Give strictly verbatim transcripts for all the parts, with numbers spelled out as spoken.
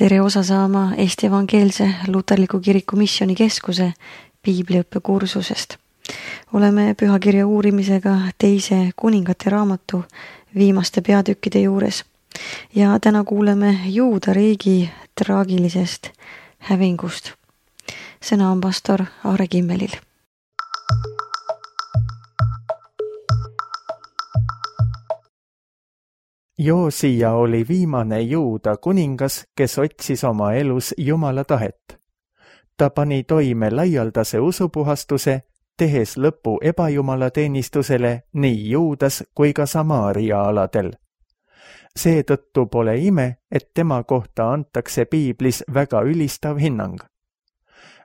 tere osa saama Eesti Evangeelse Luterliku Kiriku Missiooni Keskuse piibliõppe kursusest. Oleme pühakirja uurimisega teise kuningate raamatu viimaste peatükkide juures ja täna kuuleme Juuda riigi traagilisest hävingust. Sõna on pastor Aare Kimmelil. Joosia oli viimane Juuda kuningas, kes otsis oma elus Jumala tahet. Ta pani toime laialdase usupuhastuse, tehes lõpu ebajumalateenistusele nii Juudas kui ka Samaaria aladel. Seetõttu pole ime, et tema kohta antakse piiblis väga ülistav hinnang.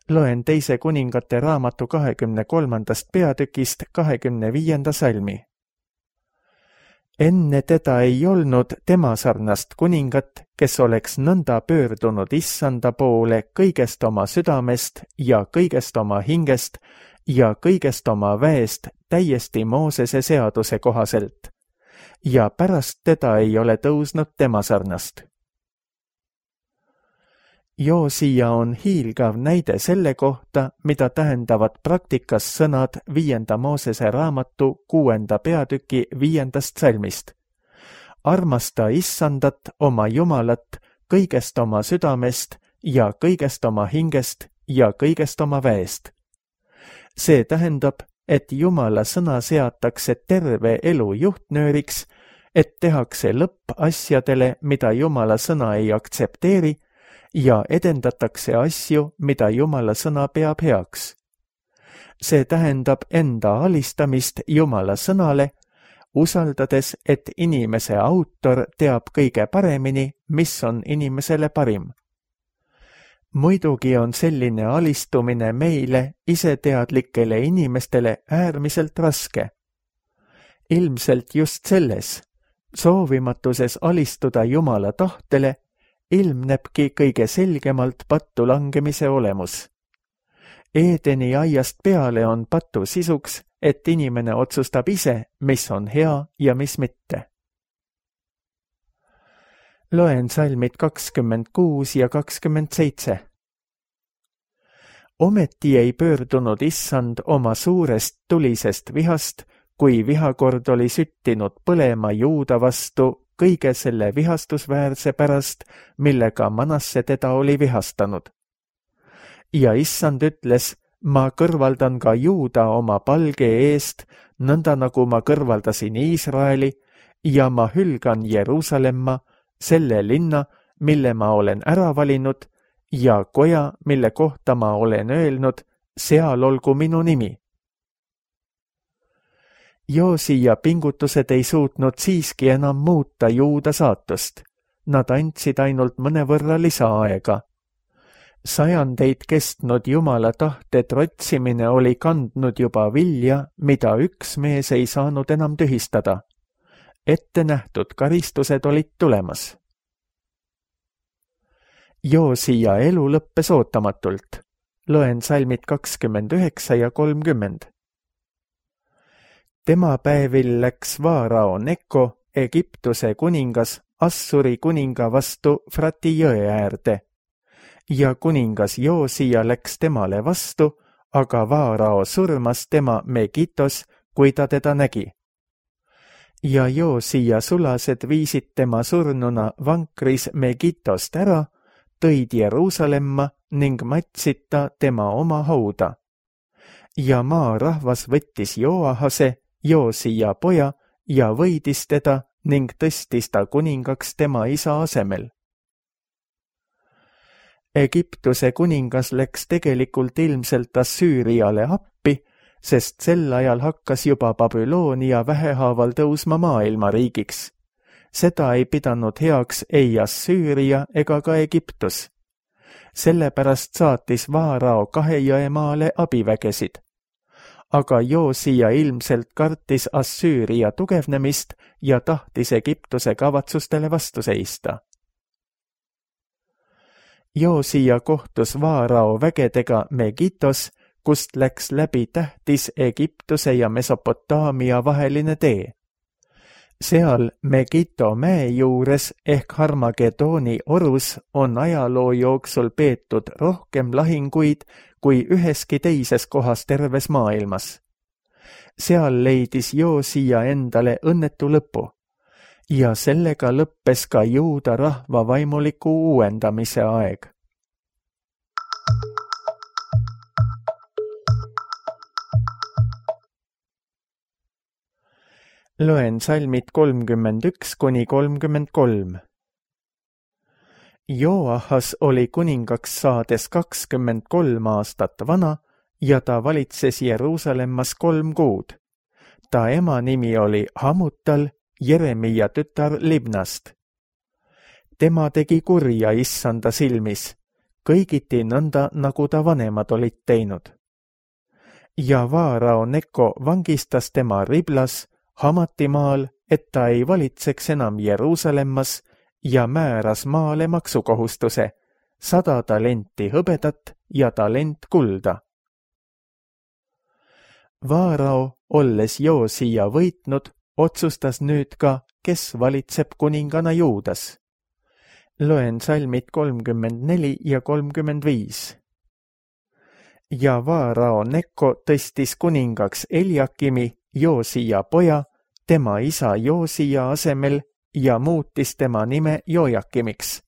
Loen teise kuningate raamatu kahekümne kolmandast peatükist kahekümne viienda salmi. Enne teda ei olnud tema sarnast kuningat, kes oleks nõnda pöördunud issanda poole kõigest oma südamest ja kõigest oma hingest ja kõigest oma väest täiesti Moosese seaduse kohaselt. Ja pärast teda ei ole tõusnud tema sarnast. Joosia on hiilgav näide selle kohta, mida tähendavad praktikas sõnad viienda Moosese raamatu kuuenda peatüki viiendast salmist. Armasta issandat oma Jumalat kõigest oma südamest ja kõigest oma hingest ja kõigest oma väest. See tähendab, et Jumala sõna seatakse terve elu juhtnööriks, et tehakse lõpp asjadele, mida Jumala sõna ei aktsepteeri, ja edendatakse asju, mida Jumala sõna peab heaks. See tähendab enda alistamist Jumala sõnale, usaldades, et inimese autor teab kõige paremini, mis on inimesele parim. Muidugi on selline alistumine meile, iseteadlikele inimestele äärmiselt raske. Ilmselt just selles, soovimatuses alistuda Jumala tahtele, ilmnebki kõige selgemalt pattu langemise olemus. Eedeni aiast peale on patu sisuks, et inimene otsustab ise, mis on hea ja mis mitte. Loen salmid kakskümmend kuus ja kakskümmend seitse. Ometi ei pöördunud issand oma suurest tulisest vihast, kui vihakord oli süttinud põlema Juuda vastu kõige selle vihastusväärse pärast, millega Manasse teda oli vihastanud. Ja issand ütles, ma kõrvaldan ka Juuda oma palge eest, nõnda nagu ma kõrvaldasin Iisraeli, ja ma hülgan Jeruusalemma, selle linna, mille ma olen ära valinud, ja koja, mille kohta ma olen öelnud, seal olgu minu nimi. Joosia pingutused ei suutnud siiski enam muuta Juuda saatust. Nad andsid ainult mõnevõrra lisaaega. Sajandeid kestnud Jumala tahte trotsimine oli kandnud juba vilja, mida üks mees ei saanud enam tühistada. Ette nähtud karistused olid tulemas. Joosia elu lõppes ootamatult. Loen salmid kakskümmend üheksa ja kolmkümmend. Tema päevil läks Vaarao Neko, Egiptuse kuningas, Assuri kuninga vastu Frati jõe äärde. Ja kuningas Joosia läks temale vastu, aga Vaarao surmas tema Megitos, kui ta teda nägi. Ja Joosia sulased viisid tema surnuna vankris Megitost ära, tõid Jeruusalemma ning matsid ta tema oma hauda. Ja maa rahvas võttis Joahase, Joosia poja, ja võidis teda ning tõstis ta kuningaks tema isa asemel. Egiptuse kuningas läks tegelikult ilmselt Assüüriale appi, sest sel ajal hakkas juba Babyloonia vähehaaval tõusma maailmariigiks. Seda ei pidanud heaks ei Assüüria ega ka Egiptus. Sellepärast saatis Vaarao kahe jõemaale abivägesid. Aga Joosia ilmselt kartis Assüüria tugevnemist ja tahtis Egiptuse kavatsustele vastu seista. Joosia kohtus Vaarao vägedega Megitos, kust läks läbi tähtis Egiptuse ja Mesopotaamia vaheline tee. seal Megiddo mäe juures ehk Harmagedooni orus on ajaloo jooksul peetud rohkem lahinguid kui üheski teises kohas terves maailmas. Seal leidis Joosia endale õnnetu lõpu ja sellega lõppes ka juuda rahva vaimuliku uuendamise aeg. Loen salmid kolmkümmend üks kuni kolmkümmend kolm. Joahas oli kuningaks saades kakskümmend kolm aastat vana ja ta valitses Jeruusalemmas kolm kuud. Ta ema nimi oli Hamutal, Jeremia tütar Libnast. Tema tegi kurja issanda silmis, kõigiti nõnda, nagu ta vanemad olid teinud. Ja Vaarao Neko vangistas tema Riblas, Hamatimaal, et ta ei valitseks enam Jeruusalemmas ja määras maale maksukohustuse, sada talenti hõbedat ja talent kulda. Vaarao, olles Joosia võitnud, otsustas nüüd ka, kes valitseb kuningana Juudas. Loen salmid kolmkümmend neli ja kolmkümmend viis. Ja Vaarao Neko tõstis kuningaks Eliakimi, Joosia poja, tema isa Joosia asemel ja muutis tema nime Jojakimiks.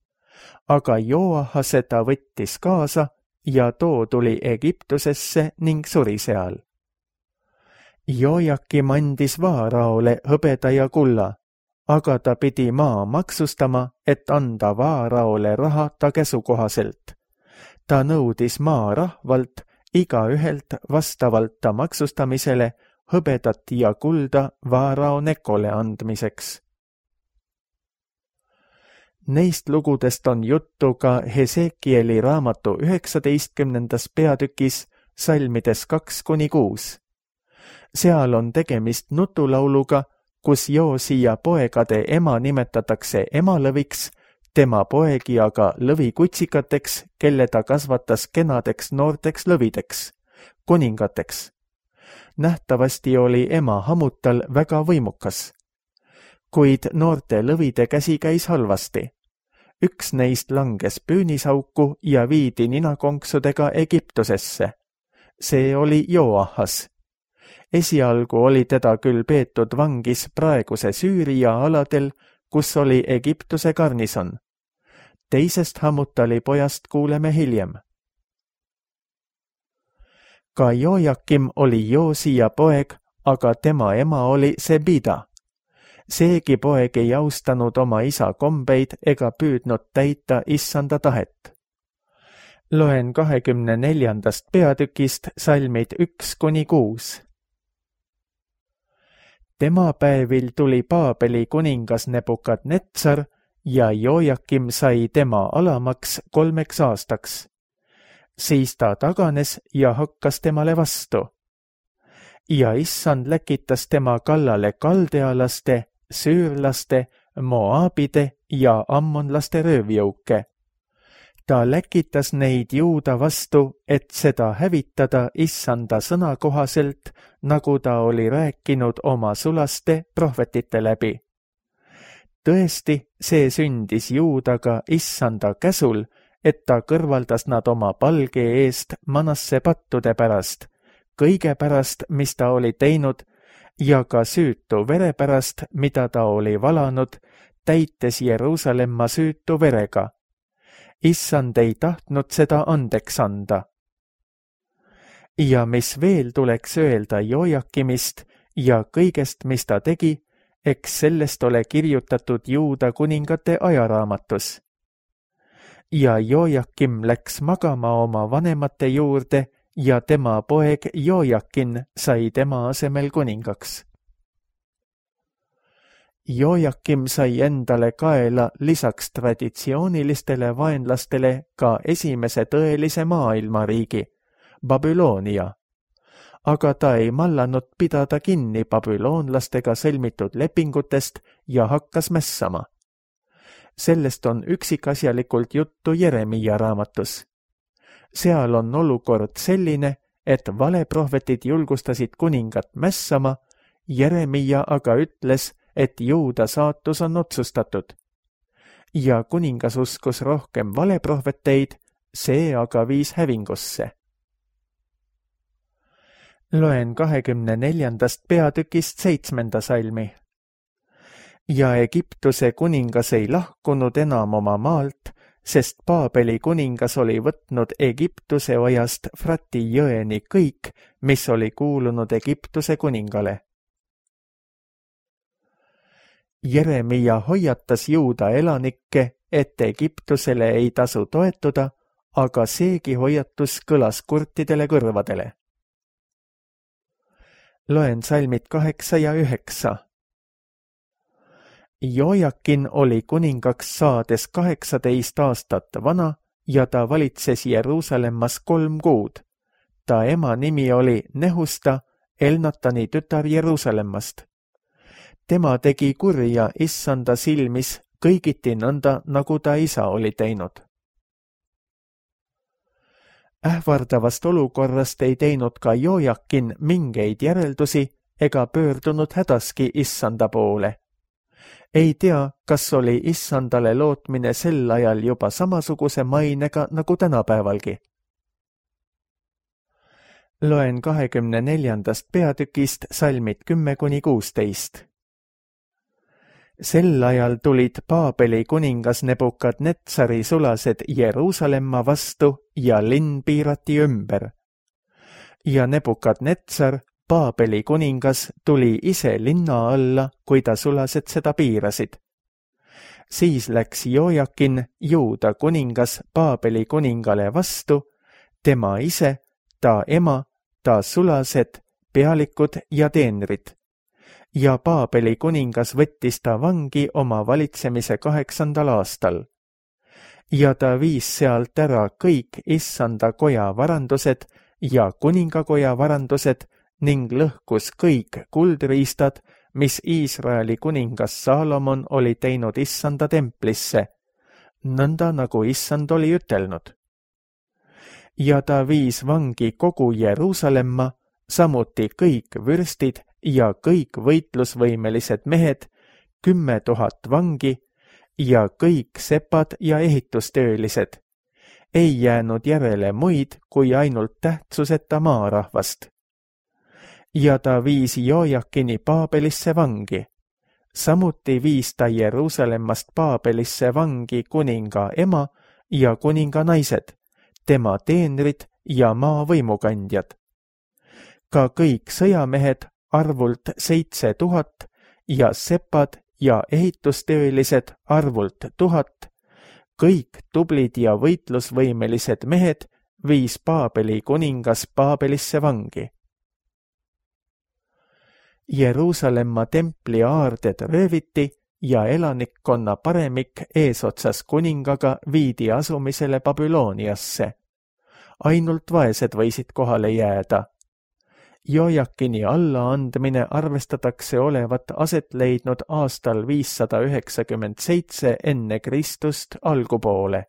Aga Joahase ta võttis kaasa ja too tuli Egiptusesse ning suri seal. Jojakim andis Vaaraole hõbeda ja kulla, aga ta pidi maa maksustama, et anda Vaaraole raha ta käsukohaselt. Ta nõudis maa rahvalt igaühelt vastavalt ta maksustamisele hõbedat ja kulda Vaarao Nekole andmiseks. Neist lugudest on juttu ka Hesekieli raamatu üheksateistkümnendas peatükis salmides kaks kuni kuus. Seal on tegemist nutulauluga, kus Joosia poegade ema nimetatakse emalõviks, tema poegi aga lõvikutsikateks, kelle ta kasvatas kenadeks noorteks lõvideks, kuningateks. Nähtavasti oli ema Hamutal väga võimukas, kuid noorte lõvide käsi käis halvasti. Üks neist langes püünisauku ja viidi ninakonksudega Egiptusesse. See oli Joahas. Esialgu oli teda küll peetud vangis praeguse Süüria aladel, kus oli Egiptuse garnison. Teisest Hamutali pojast kuuleme hiljem. Ka Jojakim oli Joosia poeg, aga tema ema oli Sebida. Seegi poeg ei austanud oma isa kombeid ega püüdnud täita issanda tahet. Loen kahekümne neljandast peatükist salmid üks kuni kuus. Tema päevil tuli Paabeli kuningas Nebukadnetsar ja Jojakim sai tema alamaks kolmeks aastaks. Siis ta taganes ja hakkas temale vastu. Ja issand läkitas tema kallale kaldealaste, süürlaste, moaabide ja ammonlaste röövjõuke. Ta läkitas neid juuda vastu, et seda hävitada issanda sõna kohaselt, nagu ta oli rääkinud oma sulaste prohvetite läbi. Tõesti, see sündis juudaga issanda käsul, et ta kõrvaldas nad oma palge eest Manasse pattude pärast, kõige pärast, mis ta oli teinud, ja ka süütu vere pärast, mida ta oli valanud, täites Jeruusalemma süütu verega. Issand ei tahtnud seda andeks anda. Ja mis veel tuleks öelda Jojakimist ja kõigest, mis ta tegi, eks sellest ole kirjutatud Juuda kuningate ajaraamatus. Ja Jojakim läks magama oma vanemate juurde ja tema poeg Jojakin sai tema asemel kuningaks. Jojakim sai endale kaela lisaks traditsioonilistele vaenlastele ka esimese tõelise maailmariigi, Babyloonia, aga ta ei mallanud pidada kinni babüloonlastega sõlmitud lepingutest ja hakkas mässama. Sellest on üksikasjalikult juttu Jeremia raamatus. Seal on olukord selline, et valeprohvetid julgustasid kuningat mässama, Jeremia aga ütles, et Juuda saatus on otsustatud. Ja kuningas uskus rohkem valeprohveteid, see aga viis hävingusse. Loen kahekümne neljandast peatükist seitsmenda salmi. Ja Egiptuse kuningas ei lahkunud enam oma maalt, sest Paabeli kuningas oli võtnud Egiptuse ojast Frati jõeni kõik, mis oli kuulunud Egiptuse kuningale. Jeremia hoiatas Juuda elanikke, et Egiptusele ei tasu toetuda, aga seegi hoiatus kõlas kurtidele kõrvadele. Loen salmid kaheksa ja üheksa. Joakin oli kuningaks saades kaheksateist aastat vana ja ta valitses Jeruusalemmas kolm kuud. Ta ema nimi oli Nehusta, Elnatani tütar Jeruusalemmast. Tema tegi kurja issanda silmis kõigiti nõnda, nagu ta isa oli teinud. Ähvardavast olukorrast ei teinud ka Joakin mingeid järeldusi ega pöördunud hädaski issanda poole. Ei tea, kas oli issandale lootmine sel ajal juba samasuguse mainega nagu tänapäevalgi. Loen kahekümne neljandast peatükist salmid kümme kuni kuusteist. Sel ajal tulid Paabeli kuningas Nebukadnetsari sulased Jeruusalemma vastu ja linn piirati ümber. Ja Nebukadnetsar, Paabeli kuningas, tuli ise linna alla, kui ta sulased seda piirasid. Siis läks Joakin, Juuda kuningas, Paabeli kuningale vastu, tema ise, ta ema, ta sulased, pealikud ja teenrid. Ja Paabeli kuningas võttis ta vangi oma valitsemise kaheksandal aastal. Ja ta viis sealt ära kõik issanda koja varandused ja kuningakoja varandused ning lõhkus kõik kuldriistad, mis Iisraeli kuningas Saalomon oli teinud issanda templisse, nõnda nagu issand oli ütelnud. Ja ta viis vangi kogu Jeruusalemma, samuti kõik vürstid ja kõik võitlusvõimelised mehed, kümme tuhat vangi ja kõik sepad ja ehitustöölised. Ei jäänud järele muid kui ainult tähtsuseta maarahvast. Ja ta viis Joakini Paabelisse vangi. Samuti viis ta Jeruusalemmast Paabelisse vangi kuninga ema ja kuninga naised, tema teenrid ja maa võimukandjad. Ka kõik sõjamehed arvult seitse tuhat ja sepad ja ehitustöölised arvult tuhat, kõik tublid ja võitlusvõimelised mehed viis Paabeli kuningas Paabelisse vangi. Jeruusalemma templi aarded rööviti ja elanikkonna paremik eesotsas kuningaga viidi asumisele Babyloniasse. Ainult vaesed võisid kohale jääda. Joakini allaandmine arvestatakse olevat aset leidnud aastal viissada üheksakümmend seitse enne Kristust algupoole.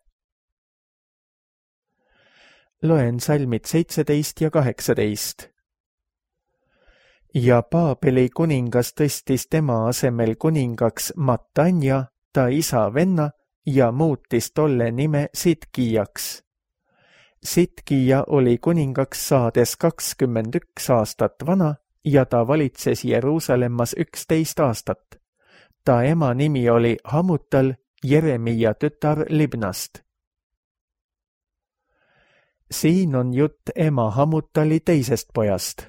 Loen salmid seitseteist ja kaheksateist. Ja Paabeli kuningas tõstis tema asemel kuningaks Matanja, ta isa venna, ja muutis tolle nime Sidkijaks. Sidkija oli kuningaks saades kakskümmend üks aastat vana ja ta valitses Jeruusalemmas üksteist aastat. Ta ema nimi oli Hamutal, Jeremia tütar Libnast. Siin on jutt ema Hamutali teisest pojast.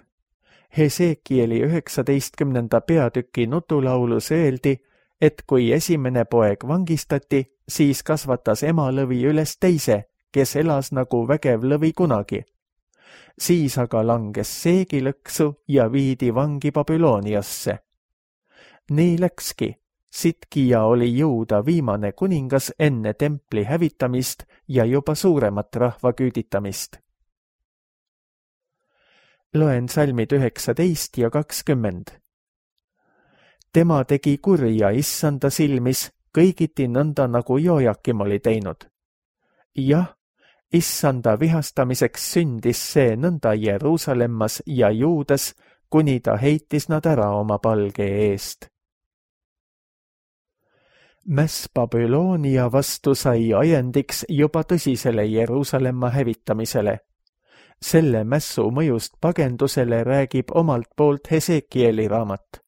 Hesekieli üheksateistkümnenda peatüki nutulaulus öeldi, et kui esimene poeg vangistati, siis kasvatas ema lõvi üles teise, kes elas nagu vägev lõvi kunagi. Siis aga langes seegi lõksu ja viidi vangi Babyloniasse. Nii läkski. Sidkija oli Juuda viimane kuningas enne templi hävitamist ja juba suuremat rahva küüditamist. Loen salmid üheksateist ja kakskümmend. Tema tegi kurja issanda silmis kõigiti nõnda, nagu Joakim oli teinud. Jah, issanda vihastamiseks sündis see nõnda Jeruusalemmas ja Juudas, kuni ta heitis nad ära oma palge eest. Mäss Babyloonia vastu sai ajendiks juba tõsisele Jeruusalemma hävitamisele. Selle mässu mõjust pagendusele räägib omalt poolt Hesekieli raamat.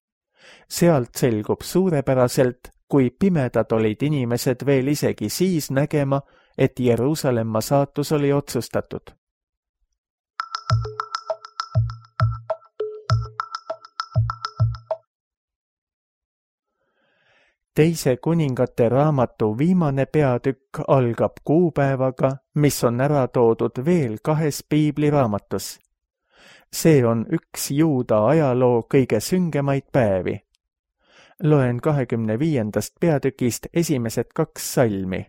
Sealt selgub suurepäraselt, kui pimedad olid inimesed veel isegi siis nägema, et Jeruusalemma saatus oli otsustatud. Teise kuningate raamatu viimane peatükk algab kuupäevaga, mis on ära toodud veel kahes piibliraamatus. See on üks juuda ajaloo kõige süngemaid päevi. Loen kahekümne viiendast peatükist esimesed kaks salmi.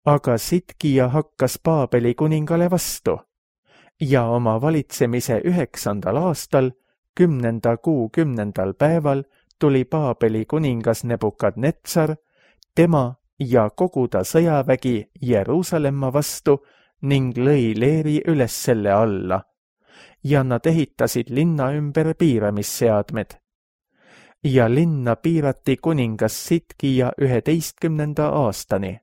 Aga Sitkija hakkas Paabeli kuningale vastu ja oma valitsemise üheksandal aastal, kümnenda kuu kümnendal päeval tuli Paabeli kuningas Nebukadnetsar, tema ja kogu ta sõjavägi Jeruusalemma vastu ning lõi leeri üles selle alla ja nad ehitasid linna ümber piiramisseadmed. Ja linna piirati kuningas Sitkija üheteistkümnenda aastani.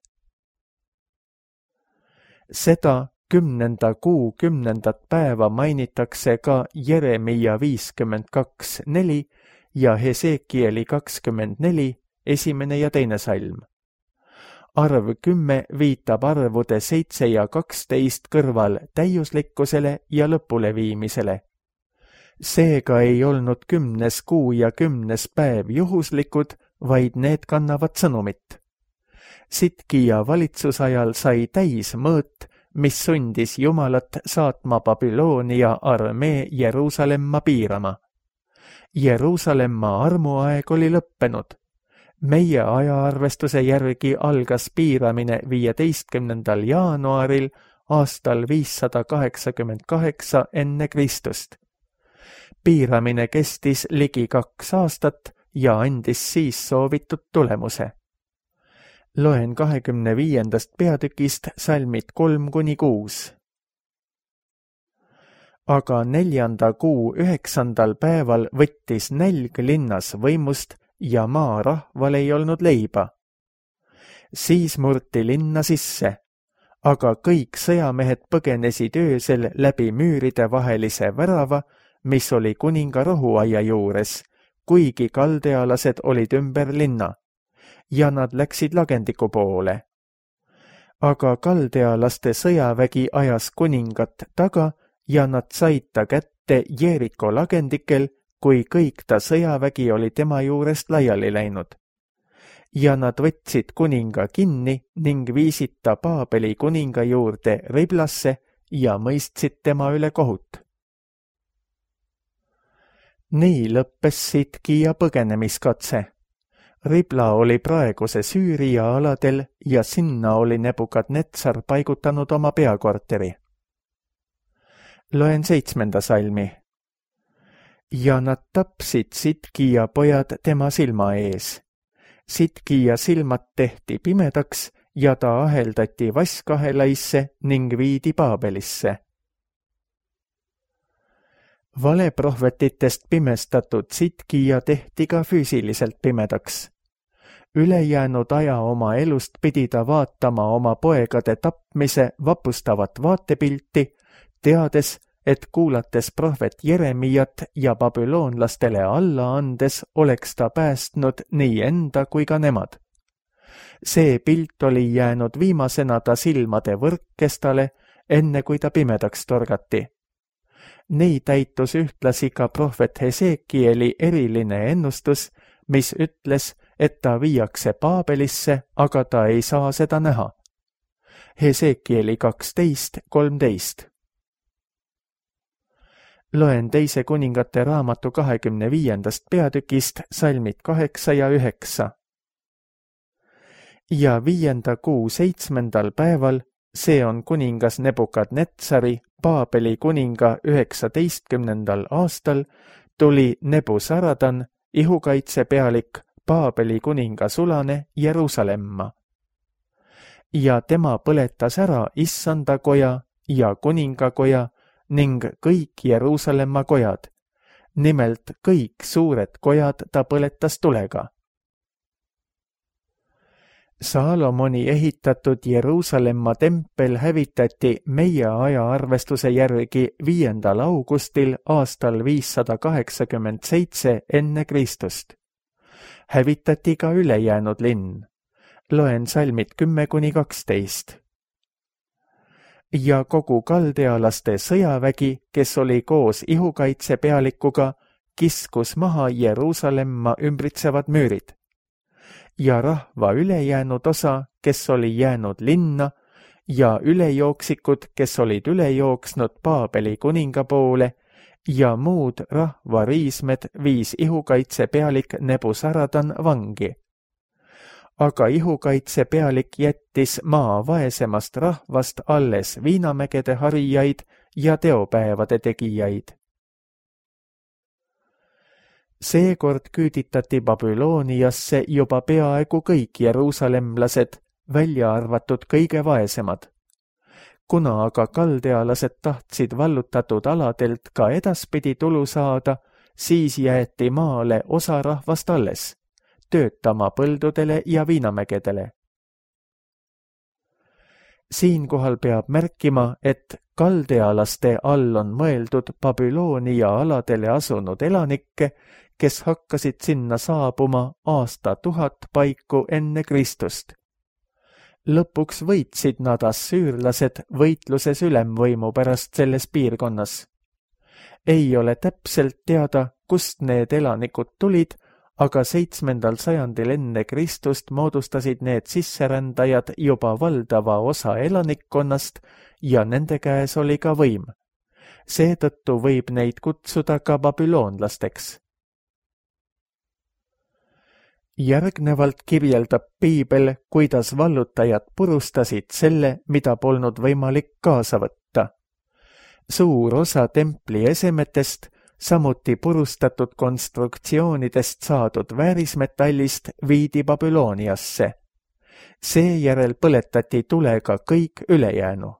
Seda kümnenda kuu kümnendat päeva mainitakse ka Jeremia viiskümmend kaks neli ja Hesekieli kakskümmend neli, esimene ja teine salm. Arv kümme viitab arvude seitse ja kaksteist kõrval täiuslikkusele ja lõpuleviimisele. Seega ei olnud kümnes kuu ja kümnes päev juhuslikud, vaid need kannavad sõnumit. Sitkija valitsusajal sai täis mõõt, mis sundis Jumalat saatma Babyloonia armee Jeruusalemma piirama. Jeruusalemma armuaeg oli lõppenud. Meie ajaarvestuse järgi algas piiramine viieteistkümnendal jaanuaril aastal viissada kaheksakümmend kaheksa enne Kristust. Piiramine kestis ligi kaks aastat ja andis siis soovitud tulemuse. Loen kahekümne viiendast peatükist salmid kolm kuni kuus. Aga neljanda kuu üheksandal päeval võttis nälg linnas võimust ja maarahval ei olnud leiba. Siis murti linna sisse, aga kõik sõjamehed põgenesid öösel läbi müüride vahelise värava, mis oli kuninga rohuaia juures, kuigi kaldealased olid ümber linna, ja nad läksid lagendiku poole. Aga kaldealaste sõjavägi ajas kuningat taga ja nad said ta kätte Jeeriko lagendikel, kui kõik ta sõjavägi oli tema juurest laiali läinud. Ja nad võtsid kuninga kinni ning viisid ta Paabeli kuninga juurde Riblasse ja mõistsid tema üle kohut. Nii lõppes Sitkija põgenemiskatse. Ribla oli praeguse Süüria aladel ja sinna oli Nebukadnetsar paigutanud oma peakorteri. Loen seitsmenda salmi. Ja nad tapsid Sitkija pojad tema silma ees. Sitkija silmad tehti pimedaks ja ta aheldati vaskahelaisse ning viidi Paabelisse. Valeprohvetitest pimestatud Sitkija tehti ka füüsiliselt pimedaks. Ülejäänud aja oma elust pidi ta vaatama oma poegade tapmise vapustavat vaatepilti, teades, et kuulates prohvet Jeremiat ja babüloonlastele alla andes oleks ta päästnud nii enda kui ka nemad. See pilt oli jäänud viimasena ta silmade võrkkestale, enne kui ta pimedaks torgati. Nii täitus ühtlasi ka prohvet Hesekieli eriline ennustus, mis ütles, et ta viiakse Paabelisse, aga ta ei saa seda näha. Hesekieli kaksteist kolmteist. Loen teise kuningate raamatu kahekümne viiendast peatükist salmid kaheksa ja üheksa. Ja viienda kuu seitsmendal päeval, see on kuningas Nebukadnetsari, Paabeli kuninga üheksateistkümnendal aastal, tuli Nebusaradan, ihukaitsepealik, Paabeli kuninga sulane Jeruusalemma. Ja tema põletas ära issanda koja ja kuningakoja ning kõik Jeruusalemma kojad. Nimelt kõik suured kojad ta põletas tulega. Saalomoni ehitatud Jeruusalemma tempel hävitati meie ajaarvestuse järgi viiendal augustil aastal viissada kaheksakümmend seitse enne Kristust. Hävitati ka ülejäänud linn. Loen salmid kümme kuni kaksteist. Ja kogu kaldealaste sõjavägi, kes oli koos ihukaitse pealikuga, kiskus maha Jeruusalemma ümbritsevad müürid. Ja rahva ülejäänud osa, kes oli jäänud linna, ja ülejooksikud, kes olid üle jooksnud Paabeli kuninga poole, ja muud rahva riismed viis ihukaitse pealik Nebusaradan vangi. Aga ihukaitse pealik jättis maa vaesemast rahvast alles viinamägede harijaid ja teopäevade tegijaid. Seekord küüditati Babyloniasse juba peaaegu kõik jeruusalemlased, välja arvatud kõige vaesemad. Kuna aga kaldealased tahtsid vallutatud aladelt ka edaspidi tulu saada, siis jäeti maale osa rahvast alles, töötama põldudele ja viinamägedele. Siinkohal peab märkima, et kaldealaste all on mõeldud Babylonia aladele asunud elanikke, kes hakkasid sinna saabuma aasta tuhat paiku enne Kristust. Lõpuks võitsid nad assüürlased võitluses ülemvõimu pärast selles piirkonnas. Ei ole täpselt teada, kust need elanikud tulid, aga seitsmendal sajandil enne Kristust moodustasid need sisserändajad juba valdava osa elanikkonnast ja nende käes oli ka võim. Seetõttu võib neid kutsuda ka babüloonlasteks. Järgnevalt kirjeldab Piibel, kuidas vallutajad purustasid selle, mida polnud võimalik kaasa võtta. Suur osa templi esemetest, samuti purustatud konstruktsioonidest saadud väärismetallist viidi Babyloniasse. Seejärel põletati tulega kõik ülejäänu.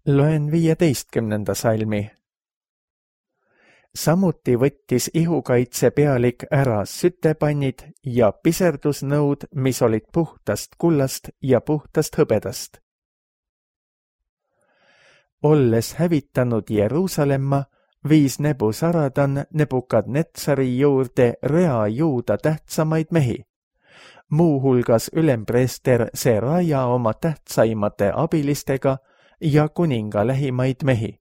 Loen viieteistkümnenda salmi. Samuti võttis ihukaitse pealik ära sütepannid ja piserdusnõud, mis olid puhtast kullast ja puhtast hõbedast. Olles hävitanud Jeruusalemma, viis Nebusaradan Nebukadnetsari juurde rea juuda tähtsamaid mehi, muuhulgas ülempreester Seraja oma tähtsaimate abilistega ja kuninga lähimaid mehi.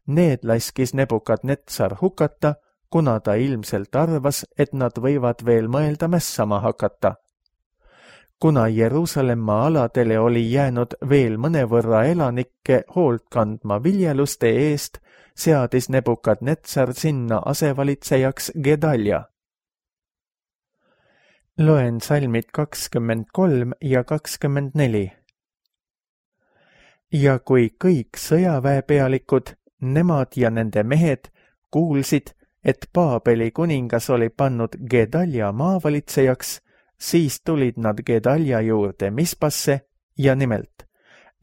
Need laskis Nebukadnetsar hukata, kuna ta ilmselt arvas, et nad võivad veel mõelda mässama hakata. Kuna Jeruusalemma aladele oli jäänud veel mõnevõrra elanikke hoolt kandma viljeluste eest, seadis Nebukadnetsar sinna asevalitsejaks Gedalja. Loen salmid kakskümmend kolm ja kakskümmend neli. Ja kui kõik sõjaväepealikud, nemad ja nende mehed kuulsid, et Paabeli kuningas oli pannud Gedalja maavalitsejaks, siis tulid nad Gedalja juurde Mispasse ja nimelt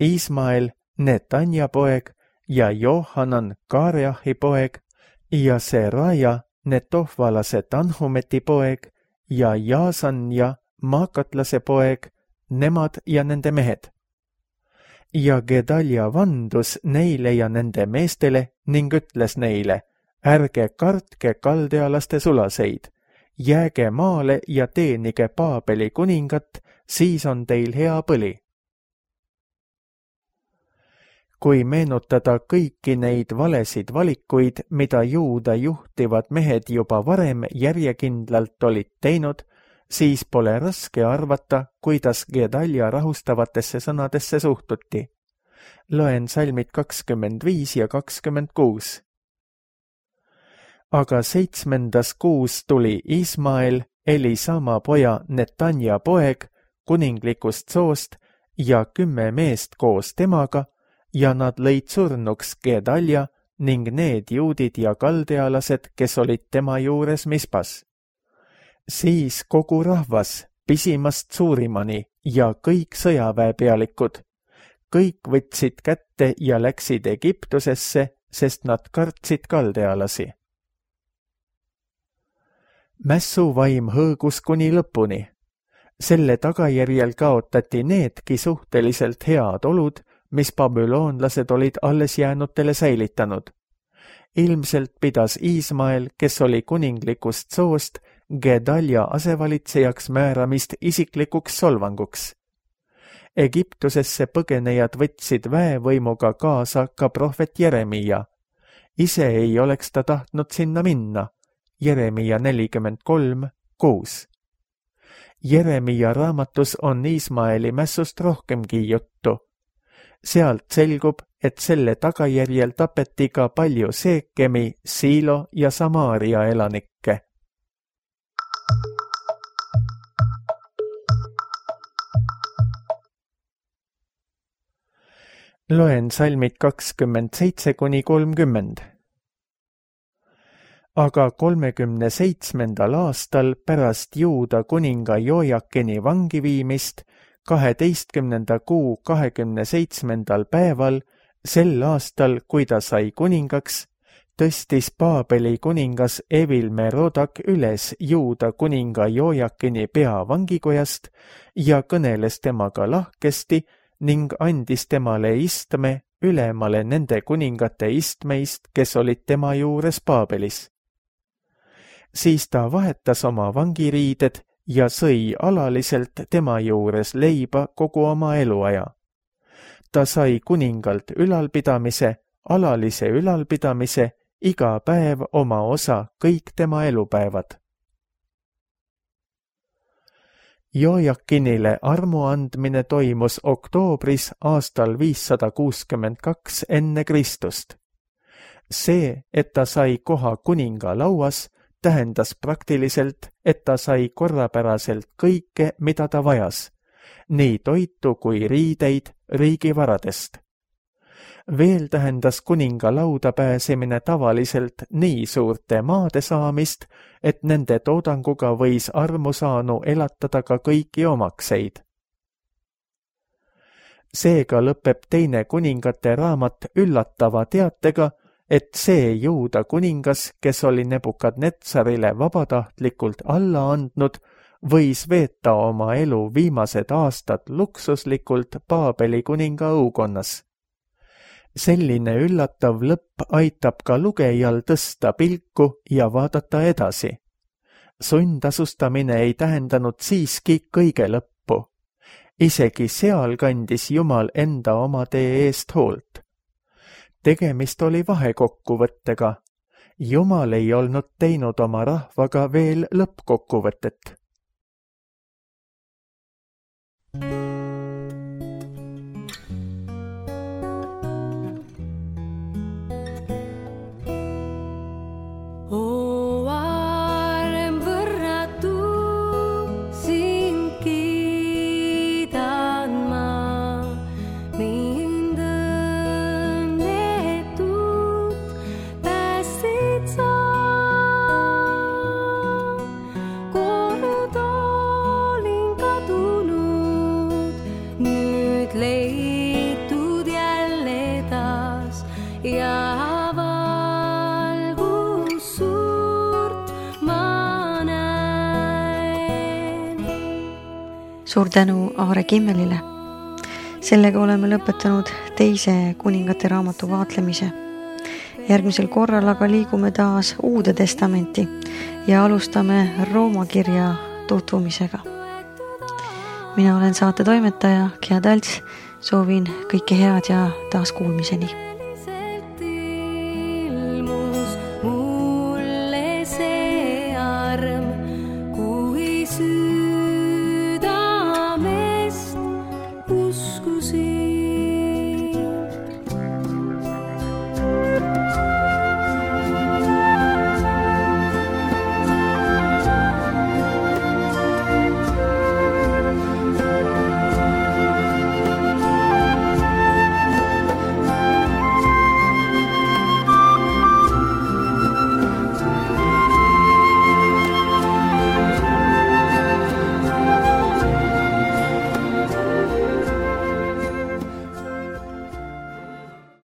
Ismael, Netanja poeg ja Johanan, Kareahi poeg ja Seraja, Netohvalase Tanhumeti poeg ja Jaasanja, Maakatlase poeg, nemad ja nende mehed. Ja Gedalja vandus neile ja nende meestele ning ütles neile, ärge kartke kaldealaste sulaseid, jääge maale ja teenige Paabeli kuningat, siis on teil hea põli. Kui meenutada kõiki neid valesid valikuid, mida juuda juhtivad mehed juba varem järjekindlalt olid teinud, siis pole raske arvata, kuidas Gedalja rahustavatesse sõnadesse suhtuti. Loen salmid kakskümmend viis ja kakskümmend kuus. Aga seitsmendas kuus tuli Ismael, Elisama poja Netanja poeg, kuninglikust soost ja kümme meest koos temaga, ja nad lõid surnuks Gedalja ning need juudid ja kaldealased, kes olid tema juures Mispas. Siis kogu rahvas, pisimast suurimani ja kõik sõjaväepealikud, kõik võtsid kätte ja läksid Egiptusesse, sest nad kartsid kaldealasi. Mässuvaim hõõgus kuni lõpuni. selle tagajärjel kaotati needki suhteliselt head olud, mis babüloonlased olid alles jäänutele säilitanud. Ilmselt pidas Iismael, kes oli kuninglikust soost, Gedalja asevalitsejaks määramist isiklikuks solvanguks. Egiptusesse põgenejad võtsid väevõimuga kaasa ka prohvet Jeremia. Ise ei oleks ta tahtnud sinna minna. Jeremia nelikümmend kolm kuus. Jeremia raamatus on Iismaeli mässust rohkemgi juttu. Sealt selgub, et selle tagajärjel tapeti ka palju Seekemi, Siilo ja Samaaria elanikke. Loen salmid kakskümmend seitse kuni kolmkümmend. Aga kolmekümne seitsmendal aastal pärast Juuda kuninga Jojakini vangi viimist, kaheteistkümnenda kuu kahekümne seitsmendal päeval, sel aastal, kui ta sai kuningaks, tõstis Paabeli kuningas Evil-Merodak üles Juuda kuninga Jojakini pea vangikojast ja kõneles temaga lahkesti ning andis temale istme ülemale nende kuningate istmeist, kes olid tema juures Paabelis. Siis ta vahetas oma vangiriided ja sõi alaliselt tema juures leiba kogu oma eluaja. Ta sai kuningalt ülalpidamise, alalise ülalpidamise, iga päev oma osa kõik tema elupäevad. Jojakinile armu andmine toimus oktoobris aastal viissada kuuskümmend kaks enne Kristust. See, et ta sai koha kuninga lauas, tähendas praktiliselt, et ta sai korrapäraselt kõike, mida ta vajas, nii toitu kui riideid riigivaradest. Veel tähendas kuninga lauda pääsemine tavaliselt nii suurte maade saamist, et nende toodanguga võis armusaanu elatada ka kõiki omakseid. Seega lõpeb teine kuningate raamat üllatava teatega, et see Juuda kuningas, kes oli Nebukadnetsarile vabatahtlikult alla andnud, võis veeta oma elu viimased aastad luksuslikult Paabeli kuninga õukonnas. Selline üllatav lõpp aitab ka lugejal tõsta pilku ja vaadata edasi. Sundasustamine ei tähendanud siiski kõige lõppu. Isegi seal kandis Jumal enda oma tee eest hoolt. Tegemist oli vahekokkuvõttega. Jumal ei olnud teinud oma rahvaga veel lõppkokkuvõtet. Suur tänu Aare Kimmelile. Sellega oleme lõpetanud teise kuningate raamatu vaatlemise. Järgmisel korral aga liigume taas Uude testamenti ja alustame Rooma kirja tutvumisega. Mina olen saate toimetaja Gea Talts, soovin kõike head ja taas kuulmiseni.